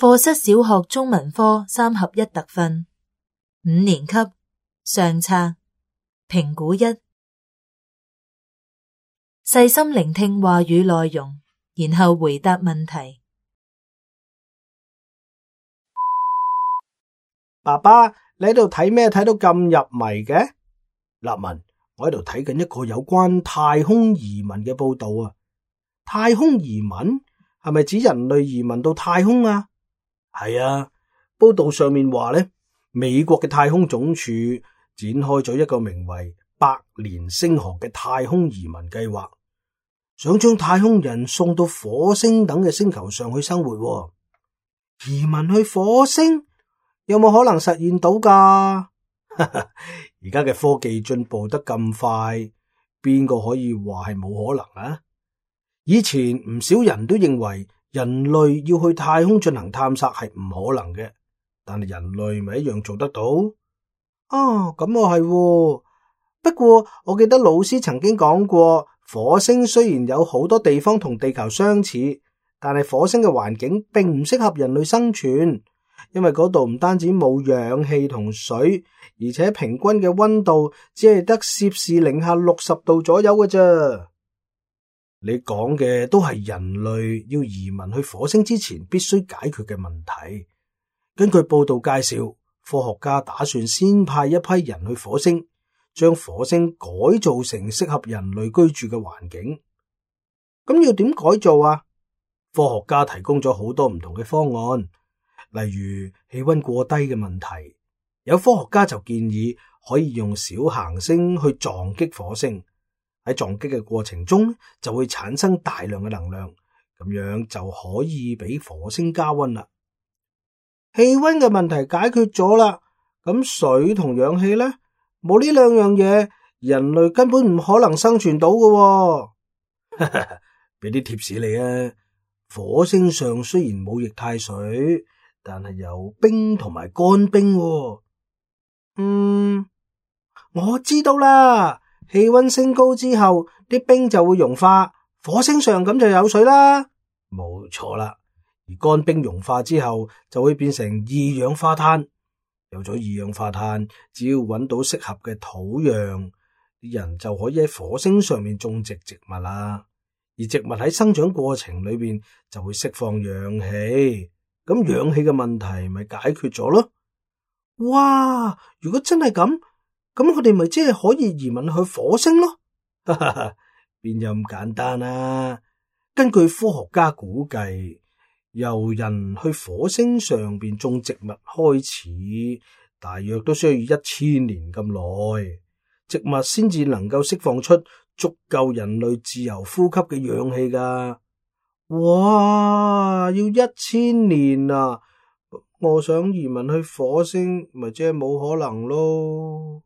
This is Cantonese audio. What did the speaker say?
課室小學中文科3合1特訓，5年級上冊評估1，細心聆聽話語內容，然後回答問題。爸爸，你喺度睇咩？睇到咁入迷嘅？立文，我喺度睇緊一個有關太空移民嘅報道啊。太空移民係咪指人類移民到太空啊？係啊，報道上面話呢，美國嘅太空總署展開咗一個名為百年星河嘅太空移民計劃，想將太空人送到火星等嘅星球上去生活。移民去火星有冇可能實現到㗎？而家嘅科技進步得咁快，邊個可以話係冇可能啊？以前唔少人都認為人類要去太空進行探索係唔可能嘅，但係人類咪一樣做得到？咁我係喎。不過我記得老師曾經講過，火星雖然有好多地方同地球相似，但係火星嘅環境並唔適合人類生存，因為嗰度唔單止冇氧氣同水，而且平均嘅溫度只係得-60°C左右嘅啫。你講嘅都係人類要移民去火星之前必須解決嘅問題。根據報道介紹，科學家打算先派一批人去火星，將火星改造成適合人類居住嘅環境。咁要點改造啊？科學家提供咗好多唔同嘅方案，例如氣溫過低嘅問題。有科學家就建議可以用小行星去撞擊火星。喺撞擊嘅過程中就會產生大量嘅能量，咁樣就可以俾火星加溫啦。氣溫嘅問題解決咗啦，咁水同氧氣呢？冇呢兩樣嘢，人類根本唔可能生存到㗎。俾啲貼士你啊，火星上雖然冇液態水，但係有冰同埋乾冰。我知道啦。氣溫升高之後，啲冰就會融化，火星上咁就有水啦。冇錯啦，而乾冰融化之後就會變成二氧化碳。有咗二氧化碳，只要揾到適合嘅土壤，啲人就可以喺火星上面種植植物啦。而植物喺生長過程裏邊就會釋放氧氣，咁氧氣嘅問題咪解決咗咯。哇！如果真係咁佢哋咪即係可以移民去火星咯？邊有咁簡單啊？根據科學家估計，由人去火星上邊種植物開始，大約都需要1000年咁耐，植物先至能夠釋放出足夠人類自由呼吸嘅氧氣噶。哇！要1000年啊！我想移民去火星，咪即係冇可能咯。